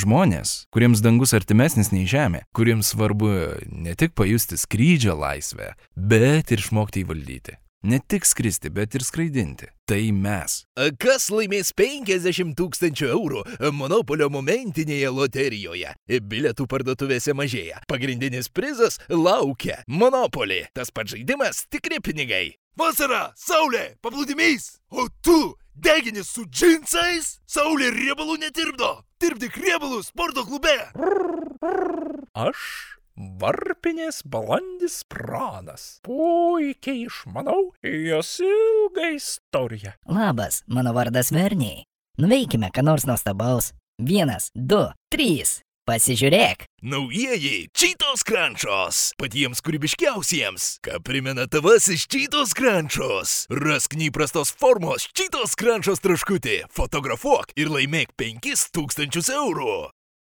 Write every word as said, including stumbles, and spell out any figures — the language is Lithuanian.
Žmonės, kuriems dangus artimesnis nei žemė, kuriems svarbu ne tik pajusti skrydžio laisvę, bet ir išmokti įvaldyti. Ne tik skristi, bet ir skraidinti. Tai mes. Kas laimės penkiasdešimt tūkstančių eurų Monopolio momentinėje loterijoje? Bilietų parduotuvėse mažėja. Pagrindinis prizas laukia. Monopoly. Tas pats žaidimas, tikri pinigai. Vasara, saulė, paplūdimys. O tu degini su džinsais? Saulė riebalų netirpdo. Tirpdyk riebalus sporto klube. Aš varpinės balandis pranas. Puikiai išmanau jos ilgą istoriją. Labas, mano vardas Verniai. Nuveikime ką nors nuostabaus. Vienas, du, trys. Pasižiūrėk. Naujieji Cheetos Crunchos. Patiems kūrybiškiausiems. Ką primena tavasis Cheetos Crunchos. Rask neįprastos formos Cheetos Crunchos traškutį. Fotografuok ir laimėk penkis tūkstančius eurų.